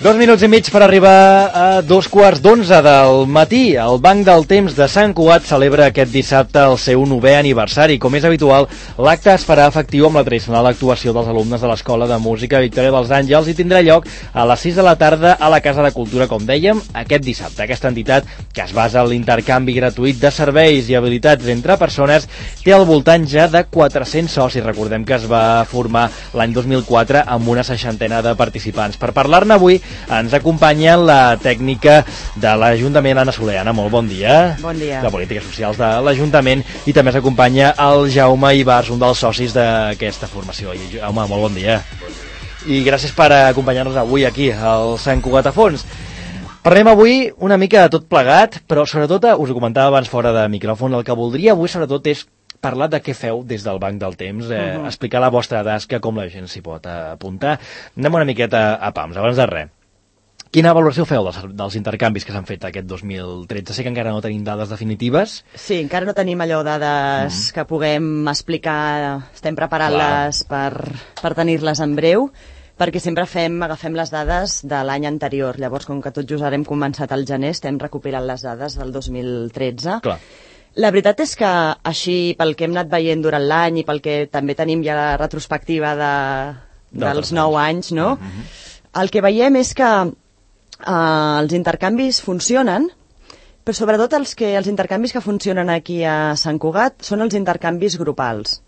2 minuts i mig per arribar a 2:15 del matí. El Banc del Temps de Sant Cugat celebra aquest dissabte el seu 9è aniversari. Com és habitual, l'acte es farà efectiu amb la tradicional actuació dels alumnes de l'Escola de Música Victòria dels Àngels i tindrà lloc a les 6 de la tarda a la Casa de Cultura, com dèiem, aquest dissabte. Aquesta entitat, que es basa en l'intercanvi gratuït de serveis i habilitats entre persones, té al voltant ja de 400 socis. Recordem que es va formar l'any 2004 amb una 60ena de participants. Per parlar-ne avui ens acompanya la tècnica de l'Ajuntament, Anna Soler. Anna, molt bon dia. Bon dia. De Polítiques Socials de l'Ajuntament, i també s'acompanya el Jaume Ibars, un dels socis d'aquesta formació. Jaume, molt bon dia. I gràcies per acompanyar-nos avui aquí al Sant Cugat a Fons. Parlem avui una mica de tot plegat, però sobretot, us ho comentava abans fora de micròfon, el que voldria avui sobretot és parlar de què feu des del Banc del Temps, explicar la vostra tasca, com la gent s'hi pot apuntar. Anem una miqueta a pams, abans de res. Quina valoració feu dels intercanvis que s'han fet aquest 2013? Sé que encara no tenim dades definitives. Sí, encara no tenim allò dades que puguem explicar, estem preparant-les per tenir-les en breu, perquè sempre agafem les dades de l'any anterior. Llavors, com que tot just ara hem començat al gener, estem recuperant les dades del 2013. Clar. La veritat és que així, pel que hem anat veient durant l'any i pel que també tenim ja la retrospectiva dels 9 anys, no? El que veiem és que els intercanvis funcionen, però sobretot els intercanvis que funcionen aquí a Sant Cugat són els intercanvis grupals.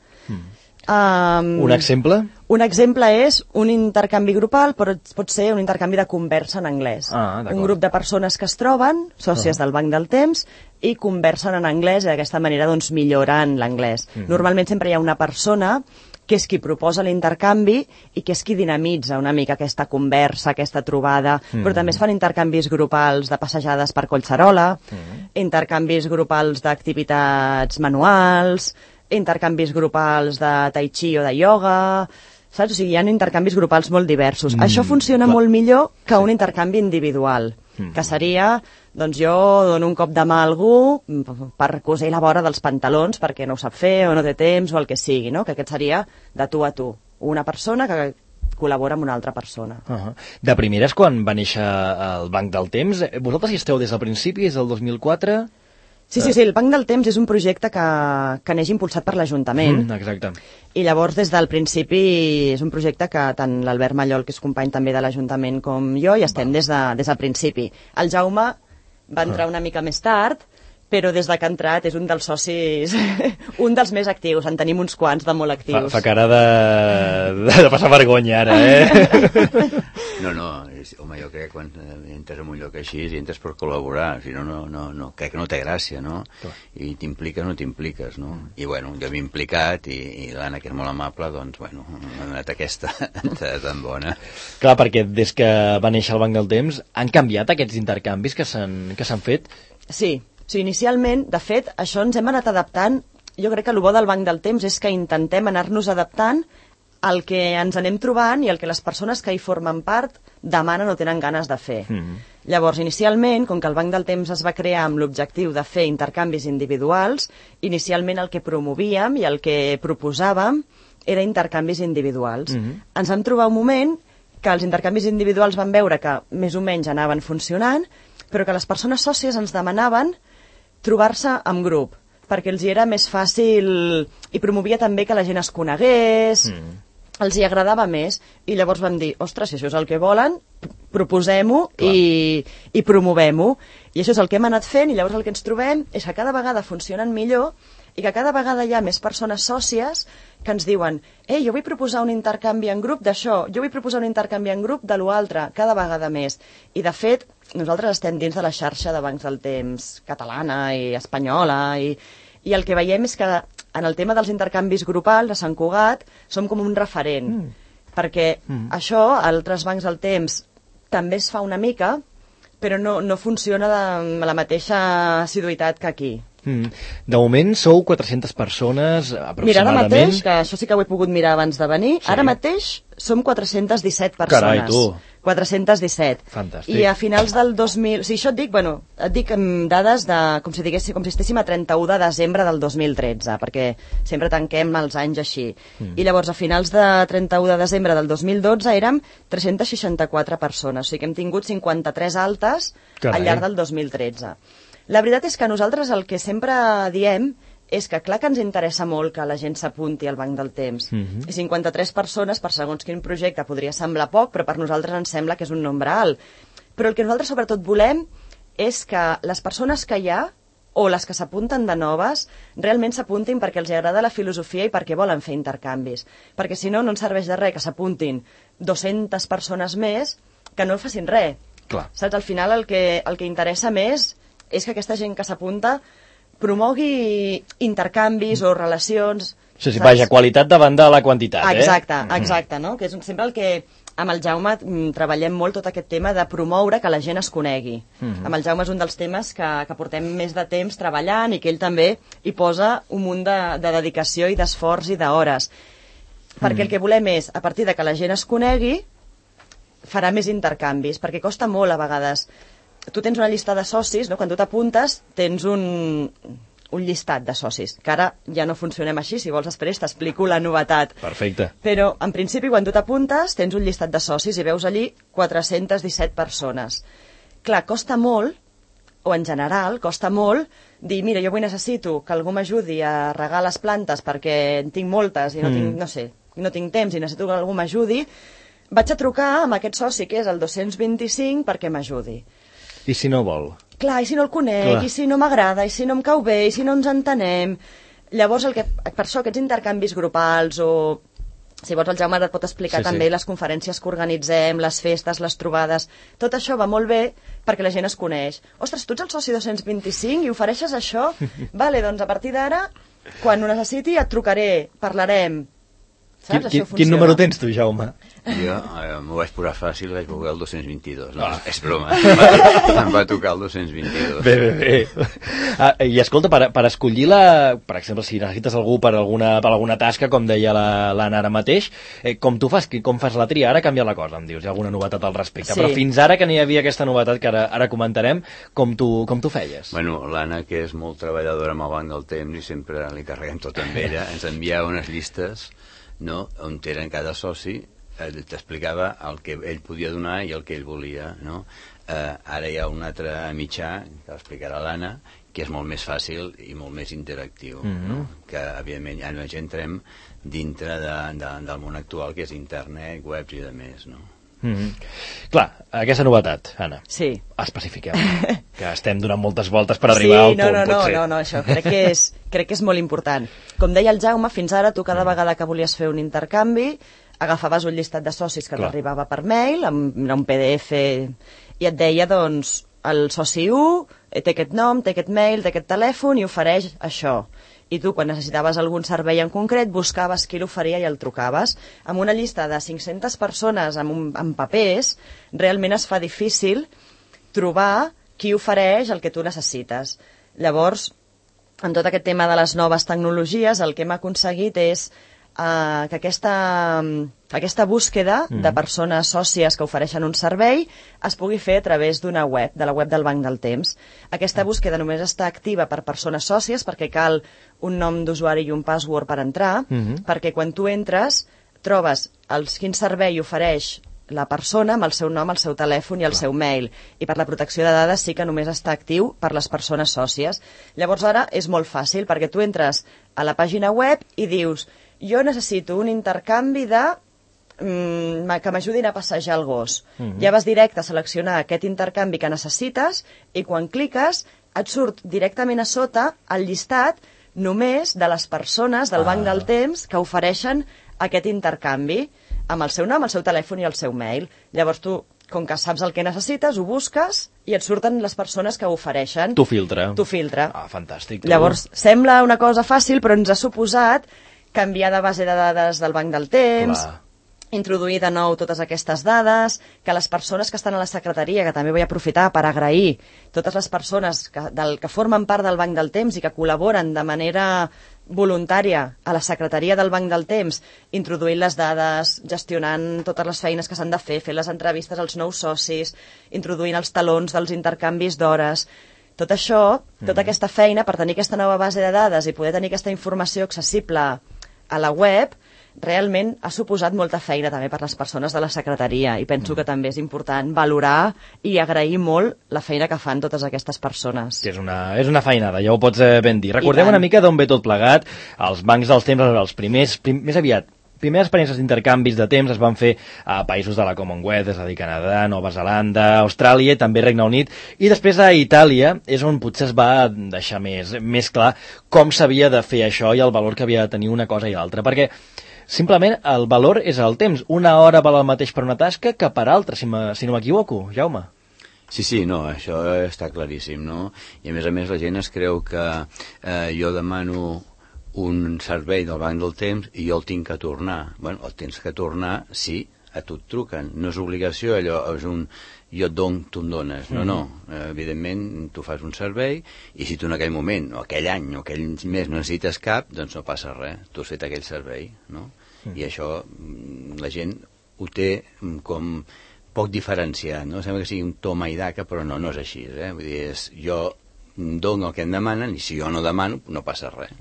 Un exemple? Un exemple és un intercanvi grupal, però pot ser un intercanvi de conversa en anglès. Un grup de persones que es troben, sòcies del Banc del Temps, i conversen en anglès i d'aquesta manera doncs, milloren l'anglès. Normalment sempre hi ha una persona que és qui proposa l'intercanvi i que és qui dinamitza una mica aquesta conversa, aquesta trobada, però també es fan intercanvis grupals de passejades per Collserola, intercanvis grupals d'activitats manuals, intercanvis grupals de tai chi o de ioga, saps? O sigui, hi ha intercanvis grupals molt diversos. Això funciona molt millor que un intercanvi individual, que seria, doncs jo dono un cop de mà a algú per cosir la vora dels pantalons perquè no ho sap fer o no té temps o el que sigui, no? Que aquest seria de tu a tu. Una persona que col·labora amb una altra persona. De primeres, quan va néixer el Banc del Temps, vosaltres hi esteu des del principi, des del 2004? Sí, el Banc del Temps és un projecte que neix impulsat per l'Ajuntament. Exacte. I llavors, des del principi, és un projecte que tant l'Albert Mallol, que és company també de l'Ajuntament, com jo, i estem des del principi. El Jaume va entrar una mica més tard, però des que ha entrat és un dels socis, un dels més actius. En tenim uns quants de molt actius. Fa cara de passar vergonya ara, No, home, jo crec que quan entres en un lloc així entres per col·laborar, si no, crec que no té gràcia, no? I t'impliques o no t'impliques, no? I bueno, jo m'he implicat i l'Anna, que és molt amable, doncs, bueno, m'ha donat aquesta tan bona. Clar, perquè des que va néixer el Banc del Temps han canviat aquests intercanvis que s'han fet? Sí, inicialment, de fet, això ens hem anat adaptant. Jo crec que el bo del Banc del Temps és que intentem anar-nos adaptant al que ens anem trobant i el que les persones que hi formen part demanen o tenen ganes de fer. Llavors, inicialment, com que el Banc del Temps es va crear amb l'objectiu de fer intercanvis individuals, inicialment el que promovíem i el que proposàvem era intercanvis individuals. Ens vam trobar un moment que els intercanvis individuals van veure que més o menys anaven funcionant, però que les persones sòcies ens demanaven trobar-se en grup, perquè els hi era més fàcil i promovia també que la gent es conegués, els hi agradava més, i llavors vam dir, ostres, si això és el que volen, proposem-ho i promovem-ho. I això és el que hem anat fent, i llavors el que ens trobem és que cada vegada funcionen millor i que cada vegada hi ha més persones sòcies que ens diuen, jo vull proposar un intercanvi en grup d'això, jo vull proposar un intercanvi en grup de l'altre, cada vegada més. I de fet, nosaltres estem dins de la xarxa de Bancs del Temps catalana i espanyola, i el que veiem és que en el tema dels intercanvis grupals a Sant Cugat som com un referent, perquè això, a altres bancs del temps, també es fa una mica, però no funciona amb la mateixa assiduïtat que aquí. De moment sou 400 persones aproximadament. Mira, ara mateix, que això sí que ho he pogut mirar abans de venir, ara mateix som 417 persones. Carai, tu. 417. Fantàstic. I a finals del 2000... O sigui, això et dic, et dic dades de, com si estéssim a 31 de desembre del 2013, perquè sempre tanquem els anys així. I llavors, a finals de 31 de desembre del 2012 érem 364 persones, o sigui que hem tingut 53 altes al llarg del 2013. La veritat és que nosaltres el que sempre diem és que clar que ens interessa molt que la gent s'apunti al Banc del Temps. I 53 persones per segons quin projecte podria semblar poc, però per nosaltres ens sembla que és un nombre alt. Però el que nosaltres sobretot volem és que les persones que hi ha, o les que s'apunten de noves, realment s'apuntin perquè els agrada la filosofia i perquè volen fer intercanvis. Perquè si no, no ens serveix de res que s'apuntin 200 persones més que no facin res. Clar. Saps? Al final el que interessa més és que aquesta gent que s'apunta promogui intercanvis o relacions... Sí, vaja, qualitat davant de la quantitat, Exacte, no? Que és sempre el que amb el Jaume treballem molt tot aquest tema de promoure que la gent es conegui. Amb el Jaume és un dels temes que portem més de temps treballant i que ell també hi posa un munt de dedicació i d'esforç i d'hores. Perquè el que volem és, a partir de que la gent es conegui, farà més intercanvis, perquè costa molt a vegades. Tu tens una llista de socis, no? Quan tu t'apuntes tens un llistat de socis, que ara ja no funcionem així, si vols després t'explico la novetat. Perfecte. Però en principi quan tu t'apuntes tens un llistat de socis i veus allí 417 persones. Clar, costa molt, o en general costa molt, dir, mira, jo avui necessito que algú m'ajudi a regar les plantes perquè en tinc moltes i no tinc, no sé, no tinc temps i necessito que algú m'ajudi, vaig a trucar amb aquest soci que és el 225 perquè m'ajudi. I si no vol? Clar, i si no el conec, i si no m'agrada, i si no em cau bé, i si no ens entenem... Llavors, per això, aquests intercanvis grupals o... Si vols, el Jaume et pot explicar també les conferències que organitzem, les festes, les trobades... Tot això va molt bé perquè la gent es coneix. Ostres, tu ets el soci 225 i ofereixes això? Vale, doncs a partir d'ara, quan ho necessiti, et trucaré, parlarem... Saps? Quin número tens tu, Jaume? Jo m'ho vaig posar fàcil, vaig posar el 222. No, és broma. Em va tocar el 222. Bé. I escolta, per escollir per exemple, si necessites algú per alguna tasca, com deia l'Anna ara mateix, com fas la tria? Ara ha canviat la cosa, em dius, hi ha alguna novetat al respecte. Sí. Però fins ara que n'hi havia aquesta novetat que ara comentarem, com tu feies? Bueno, l'Anna, que és molt treballadora amb el Banc del Temps i sempre li carreguem tot amb ella, ens enviava unes llistes, no?, on eren cada soci, t'explicava el que ell podia donar i el que ell volia, no? Ara hi ha un altre mitjà, que l'explicarà l'Anna, que és molt més fàcil i molt més interactiu, no? Que evidentment ja no ens entrem dintre del món actual, que és internet, webs i de més, no? Clar, aquesta novetat, Anna. Sí. Especifiquem, que estem donant moltes voltes per arribar al punt, potser. No, això crec que és molt important. Com deia el Jaume, fins ara tu cada vegada que volies fer un intercanvi agafaves un llistat de socis que t'arribava per mail, amb un PDF, i et deia, doncs, el soci 1 té aquest nom, té aquest mail, té aquest telèfon i ofereix això. I tu, quan necessitaves algun servei en concret, buscaves qui l'oferia i el trucaves. Amb una llista de 500 persones amb papers, realment es fa difícil trobar qui ofereix el que tu necessites. Llavors, en tot aquest tema de les noves tecnologies, el que hem aconseguit és que aquesta búsqueda de persones sòcies que ofereixen un servei es pugui fer a través d'una web, de la web del Banc del Temps. Aquesta búsqueda només està activa per persones sòcies perquè cal un nom d'usuari i un password per entrar, perquè quan tu entres trobes quin servei ofereix la persona amb el seu nom, el seu telèfon i el seu mail. I per la protecció de dades sí que només està actiu per les persones sòcies. Llavors ara és molt fàcil perquè tu entres a la pàgina web i dius jo necessito un intercanvi que m'ajudin a passejar el gos. Ja vas directe a seleccionar aquest intercanvi que necessites i quan cliques et surt directament a sota el llistat només de les persones del Banc del Temps que ofereixen aquest intercanvi amb el seu nom, el seu telèfon i el seu mail. Llavors tu, com que saps el que necessites, ho busques i et surten les persones que ho ofereixen. Tu filtra. Fantàstic. Llavors, sembla una cosa fàcil, però ens ha suposat canviar de base de dades del Banc del Temps, introduir de nou totes aquestes dades, que les persones que estan a la secretaria, que també vull aprofitar per agrair totes les persones que formen part del Banc del Temps i que col·laboren de manera voluntària a la secretaria del Banc del Temps, introduint les dades, gestionant totes les feines que s'han de fer les entrevistes als nous socis, introduint els talons dels intercanvis d'hores. Tot això, tota aquesta feina, per tenir aquesta nova base de dades i poder tenir aquesta informació accessible a la web, realment ha suposat molta feina també per les persones de la secretaria i penso que també és important valorar i agrair molt la feina que fan totes aquestes persones. És una feinada, ja ho pots ben dir. Recordem una mica d'on ve tot plegat. Els bancs dels temps, els primers experiències d'intercanvis de temps es van fer a països de la Commonwealth, és a dir, Canadà, Nova Zelanda, Austràlia i també Regne Unit, i després a Itàlia és on potser es va deixar més clar com s'havia de fer això i el valor que havia de tenir una cosa i l'altra, perquè simplement el valor és el temps. Una hora val el mateix per una tasca que per altra, si no m'equivoco, Jaume. Sí, no, això està claríssim, no? I a més la gent es creu que jo demano un servei del Banc del Temps i jo el tinc que tornar. Bueno, el tens que tornar, sí, a tu et truquen. No és obligació, allò és un jo et dono, tu em dones. No. Evidentment, tu fas un servei i si tu en aquell moment, o aquell any, o aquell mes no necessites cap, doncs no passa res. Tu has fet aquell servei, no? I això la gent ho té com poc diferenciat, no? Sembla que sigui un toma i daca, però no és així, Vull dir, jo dono el que em demanen i si jo no demano, no passa res.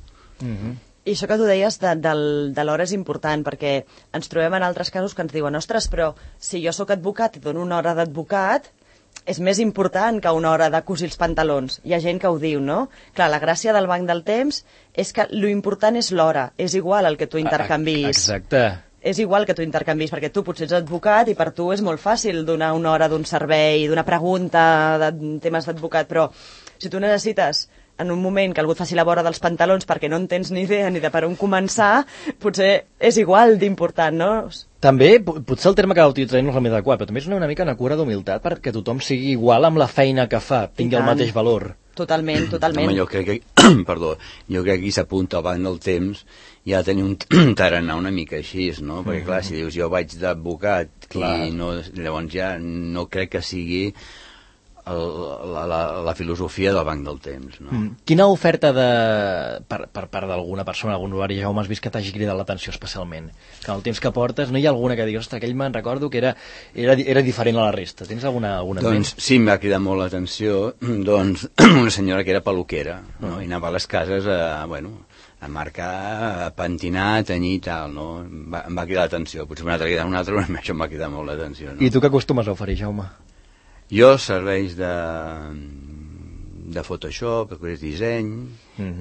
I això que tu deies de l'hora és important, perquè ens trobem en altres casos que ens diuen ostres, però si jo sóc advocat i dono una hora d'advocat, és més important que una hora de cosir els pantalons. Hi ha gent que ho diu, no? Clar, la gràcia del Banc del Temps és que l'important és l'hora, és igual el que tu intercanvis. Exacte. És igual que tu intercanvis, perquè tu potser ets advocat i per tu és molt fàcil donar una hora d'un servei, d'una pregunta, de temes d'advocat, però si tu necessites en un moment que algú et faci la vora dels pantalons perquè no en tens ni idea ni de per on començar, potser és igual d'important, no? També, potser el terme que utilitzarem no és el més adequat, però també és una mica una cura d'humilitat perquè tothom sigui igual amb la feina que fa, tingui el mateix valor. Totalment. Home, jo crec que aquí s'apunta al Banc del Temps i ha de tenir un tarannà una mica així, no? Perquè clar, si dius jo vaig d'advocat i no, llavors ja no crec que sigui la filosofia del Banc del Temps, no? Quina oferta per part d'alguna persona, algun usuari, Jaume, has vist que t'hagi cridat l'atenció especialment? Que el temps que portes, no hi ha alguna que diguis, ostres, aquell me'n recordo que era diferent a la resta. Tens alguna doncs sí, em va cridar molt l'atenció una senyora que era peluquera, no? I anava a les cases a marcar, a pentinar, a tenyir i tal, no? Em va cridar l'atenció, potser una altra, però això em va cridar molt l'atenció, no? I tu què acostumes a oferir, Jaume? Jo serveis de Photoshop, disseny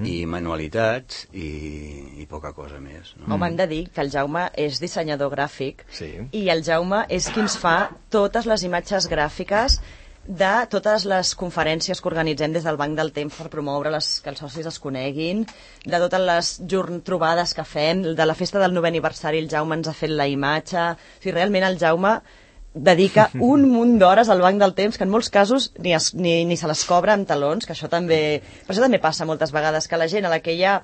i manualitats i poca cosa més, no? Home, hem de dir que el Jaume és dissenyador gràfic i el Jaume és qui ens fa totes les imatges gràfiques de totes les conferències que organitzem des del Banc del Temps per promoure que els socis es coneguin, de totes les trobades que fem, de la festa del 9è aniversari el Jaume ens ha fet la imatge. O sigui, realment el Jaume dedica un munt d'hores al Banc del Temps que en molts casos ni se les cobra amb talons, que això també... Per això també passa moltes vegades, que la gent a la que ja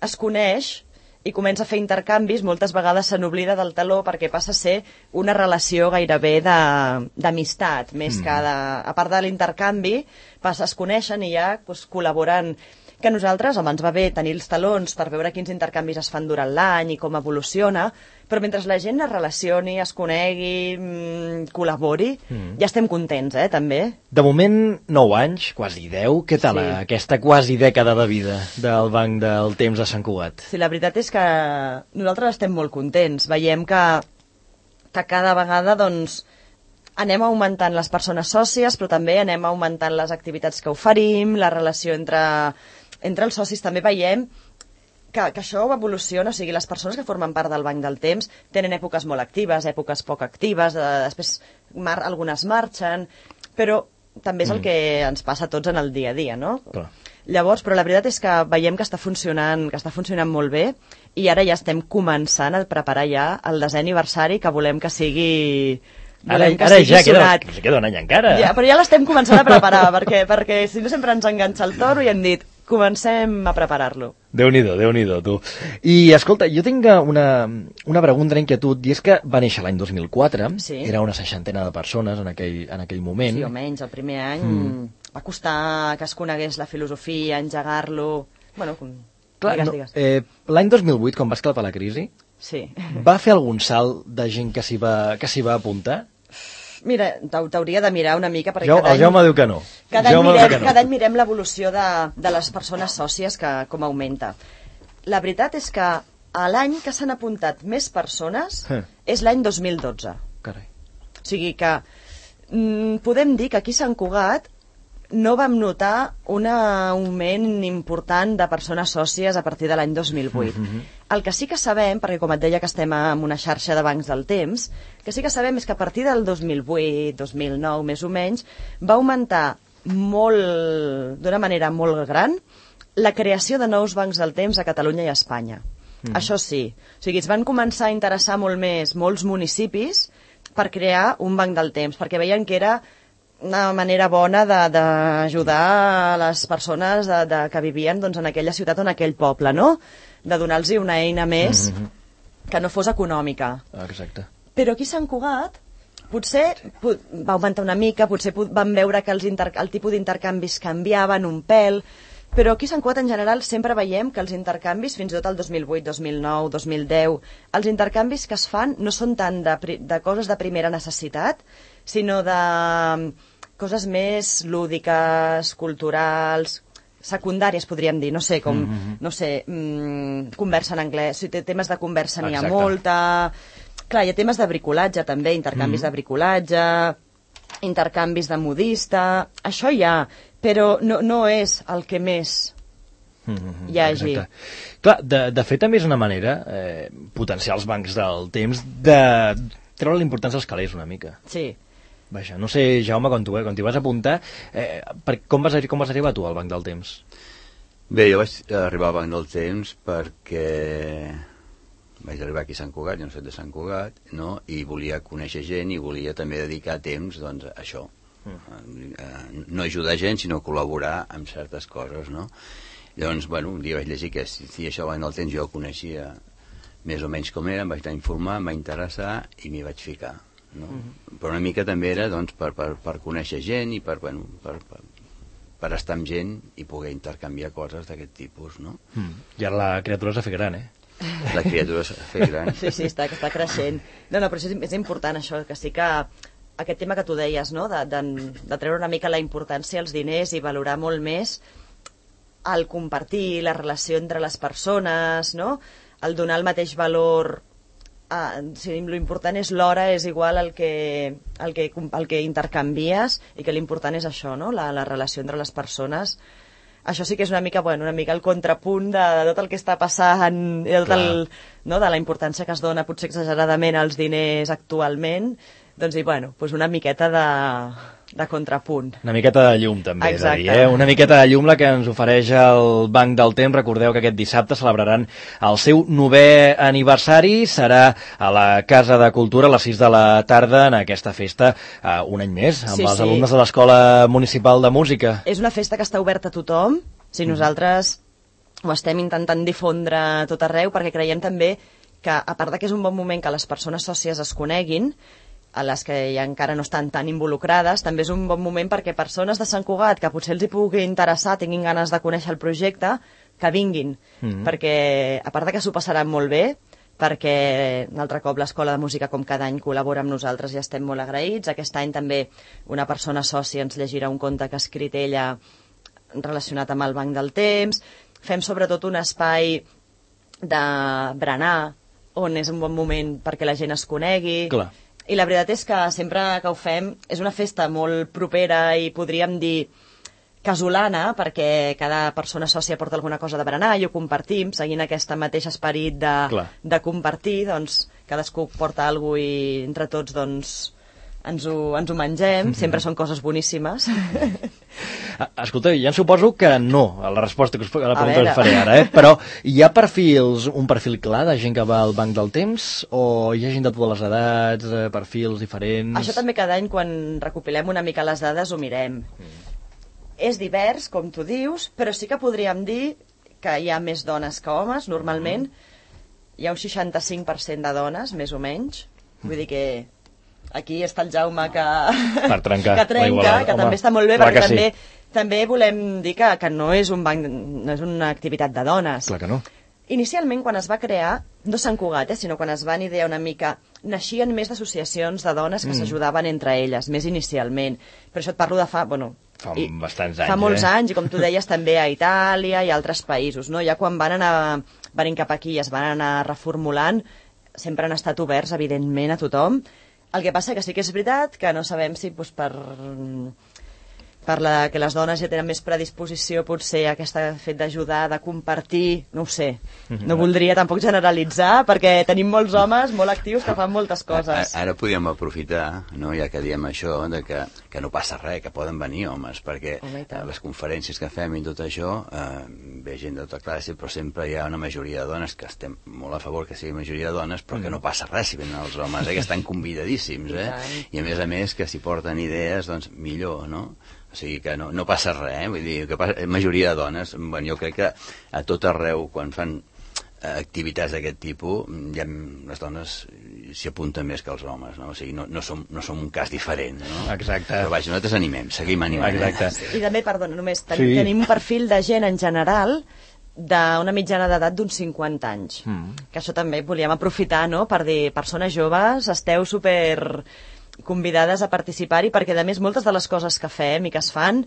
es coneix i comença a fer intercanvis, moltes vegades se n'oblida del taló perquè passa a ser una relació gairebé d'amistat, més que a part de l'intercanvi, es coneixen i ja col·laboren. Que a nosaltres ens va bé tenir els talons per veure quins intercanvis es fan durant l'any i com evoluciona, però mentre la gent es relacioni, es conegui, col·labori, ja estem contents, també. De moment, 9 anys, quasi 10. Què tal aquesta quasi dècada de vida del Banc del Temps de Sant Cugat? Sí, la veritat és que nosaltres estem molt contents. Veiem que cada vegada, anem augmentant les persones sòcies, però també anem augmentant les activitats que oferim, la relació entre els socis. També veiem que això evoluciona, o sigui, les persones que formen part del Banc del Temps tenen èpoques molt actives, èpoques poc actives, després algunes marxen, però també és el que ens passa a tots en el dia a dia, no? Clar. Llavors, però la veritat és que veiem que està funcionant molt bé i ara ja estem començant a preparar ja el 10è aniversari que volem que sigui... Ara ja queda un any encara. Ja, però ja l'estem començant a preparar, perquè si no sempre ens enganxa el toro i hem dit comencem a preparar-lo. Déu-n'hi-do, tu. I, escolta, jo tinc una pregunta, una inquietud, i és que va néixer l'any 2004, era una 60ena de persones en aquell moment. Sí, o menys, el primer any va costar que es conegués la filosofia, engegar-lo... Bueno, Clar, Digues. l'any 2008, quan va esclatar la crisi, Sí. va fer algun salt de gent que s'hi va apuntar? Mira, t'hauria de mirar una mica, perquè El Jaume diu que no. Cada any mirem l'evolució de les persones sòcies com augmenta. La veritat és que l'any que s'han apuntat més persones és l'any 2012. Carai. O sigui que podem dir que aquí a Sant Cugat no vam notar un augment important de persones sòcies a partir de l'any 2008. El que sí que sabem, perquè com et deia que estem en una xarxa de bancs del temps, que sí que sabem és que a partir del 2008, 2009 més o menys, va augmentar d'una manera molt gran la creació de nous bancs del temps a Catalunya i a Espanya. Això sí. O sigui, es van començar a interessar molt més molts municipis per crear un banc del temps, perquè veien que era una manera bona d'ajudar a les persones que vivien doncs, en aquella ciutat o en aquell poble, no? De donar-los una eina més que no fos econòmica. Exacte. Però aquí a Sant Cugat potser va augmentar una mica, potser vam veure que el tipus d'intercanvis canviaven un pèl, però aquí a Sant Cugat en general sempre veiem que els intercanvis, fins i tot el 2008, 2009, 2010, els intercanvis que es fan no són tant de coses de primera necessitat, sinó de coses més lúdiques, culturals, secundàries, podríem dir, no sé, com, conversa en anglès, o sigui, temes de conversa n'hi ha molta. Clar, hi ha temes de bricolatge també, intercanvis de bricolatge, intercanvis de modista, això hi ha, però no és el que més hi hagi. Clar, de fet també és una manera potenciar els bancs del temps de treure l'importància als calés una mica. Sí. Vaja, no sé, Jaume, quan t'hi vas apuntar, com vas arribar tu al banc del temps? Bé, jo vaig arribar al banc del temps perquè vaig arribar aquí a Sant Cugat, jo no soc de Sant Cugat, no? I volia conèixer gent i volia també dedicar temps doncs, a això. No ajudar gent, sinó col·laborar amb certes coses, no? Llavors, bueno, un dia vaig llegir que si això al banc del temps jo ho coneixia més o menys com era, em vaig anar a informar, em va interessar i m'hi vaig ficar. No? Però una mica també era doncs, per conèixer gent i per estar amb gent i poder intercanviar coses d'aquest tipus, no? I ara la criatura s'ha fet gran, La criatura s'ha fet gran. Sí, està creixent. No, però això és important, això, que sí que aquest tema que tu deies, no? de treure una mica la importància als diners i valorar molt més el compartir, la relació entre les persones, no? El donar el mateix valor. L'important és l'hora, és igual el que intercanvies, i que l'important és això, no? La relació entre les persones. Això sí que és una mica el contrapunt de tot el que està passant i de la importància que es dona potser exageradament als diners actualment, doncs una miqueta de contrapunt. Una miqueta de llum també, és a dir, una miqueta de llum la que ens ofereix el Banc del Temps. Recordeu que aquest dissabte celebraran el seu 9è aniversari, serà a la Casa de Cultura a les 6 de la tarda en aquesta festa un any més, amb els alumnes de l'Escola Municipal de Música. És una festa que està oberta a tothom, nosaltres ho estem intentant difondre a tot arreu, perquè creiem també que, a part que és un bon moment que les persones sòcies es coneguin, a les que ja encara no estan tan involucrades, també és un bon moment perquè persones de Sant Cugat que potser els hi pugui interessar, tinguin ganes de conèixer el projecte, que vinguin, perquè a part que s'ho passaran molt bé, perquè un altre cop l'Escola de Música com cada any col·labora amb nosaltres i estem molt agraïts. Aquest any també una persona sòcia ens llegirà un conte que ha escrit ella relacionat amb el Banc del Temps. Fem sobretot un espai de berenar, on és un bon moment perquè la gent es conegui. Clar. I la veritat és que sempre que ho fem és una festa molt propera i podríem dir casolana, perquè cada persona sòcia porta alguna cosa de berenar i ho compartim, seguint aquest mateix esperit de compartir, doncs cadascú porta alguna cosa i entre tots doncs ens ho mengem, sempre són coses boníssimes. Escolta, ja em suposo que no, a la resposta que a la pregunta que us faré ara, però hi ha un perfil clar de gent que va al Banc del Temps, o hi ha gent de totes les edats, perfils diferents? Això també cada any, quan recopilem una mica les dades, ho mirem. És divers, com tu dius, però sí que podríem dir que hi ha més dones que homes, normalment. Hi ha un 65% de dones, més o menys, vull dir que aquí està el Jaume que trencar, que també està molt bé, perquè també volem dir que no és un banc, no és una activitat de dones. Clar que no. Inicialment, quan es va crear, no Sant Cugat, sinó quan es van idear una mica, naixien més d'associacions de dones que s'ajudaven entre elles, més inicialment. Per això et parlo de fa bastants anys. Fa molts anys, i com tu deies, també a Itàlia i a altres països, no? Ja quan van anar venint cap aquí i es van anar reformulant, sempre han estat oberts, evidentment, a tothom. El que passa que sí que és veritat que no sabem si per que les dones ja tenen més predisposició potser a aquest fet d'ajudar, de compartir, no ho sé. No voldria tampoc generalitzar, perquè tenim molts homes molt actius que fan moltes coses. Ara podríem aprofitar, no, ja que diem això, de que no passa res, que poden venir homes, perquè les conferències que fem i tot això, ve gent de tota classe, però sempre hi ha una majoria de dones, que estem molt a favor que sigui majoria de dones, però que no passa res si venen els homes, que estan convidadíssims, i a més que si porten idees, doncs millor, no? O sigui que no passa res, vull dir, que majoria de dones, jo crec que a tot arreu, quan fan activitats d'aquest tipus, ja les dones s'hi apunten més que els homes, no? O sigui, no som un cas diferent, no? Exacte. Però vaja, nosaltres seguim animant. Exacte. I també, perdona, només, tenim un perfil de gent en general d'una mitjana d'edat d'uns 50 anys. Que això també volíem aprofitar, no?, per dir, persones joves, esteu super convidades a participar-hi, perquè a més moltes de les coses que fem i que es fan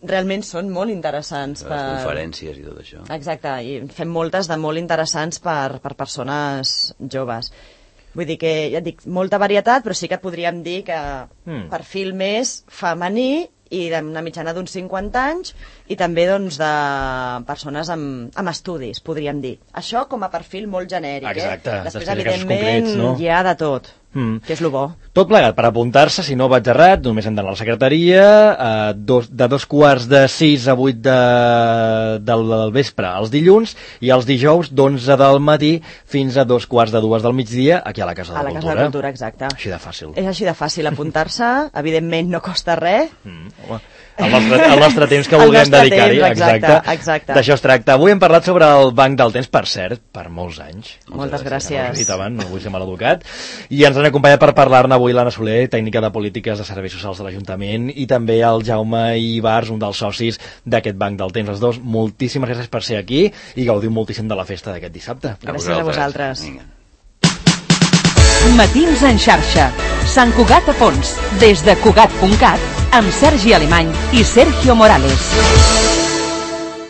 realment són molt interessants. Les conferències i tot això. Exacte, i fem moltes de molt interessants per persones joves. Vull dir que, ja et dic, molta varietat, però sí que podríem dir que perfil més femení i d'una mitjana d'uns 50 anys i també doncs de persones amb estudis, podríem dir. Això com a perfil molt genèric. Exacte. Després, evidentment, hi ha de tot. Que és lo bo. Tot plegat per apuntar-se, si no vaig errat, només hem d'anar a la secretaria, de 5:45 a 8 del vespre els dilluns, i els dijous d'11 del matí fins a 2:45 del migdia, aquí a la Casa de la Cultura. A la Casa de la Cultura, exacte. Així de fàcil. És així de fàcil apuntar-se, evidentment no costa res. El nostre temps que vulguem dedicar-hi. Exacte. D'això es tracta. Avui hem parlat sobre el Banc del Temps, per cert, per molts anys. Moltes gràcies. No vull ser maleducat. I ens han acompanyat per parlar-ne avui l'Anna Soler, tècnica de polítiques de serveis socials de l'Ajuntament, i també el Jaume Ibars, un dels socis d'aquest Banc del Temps. Els dos, moltíssimes gràcies per ser aquí i gaudiu moltíssim de la festa d'aquest dissabte. Gràcies a vosaltres. Matins en xarxa. Sant Cugat a fons. Des de Cugat.cat amb Sergi Alemany i Sergio Morales.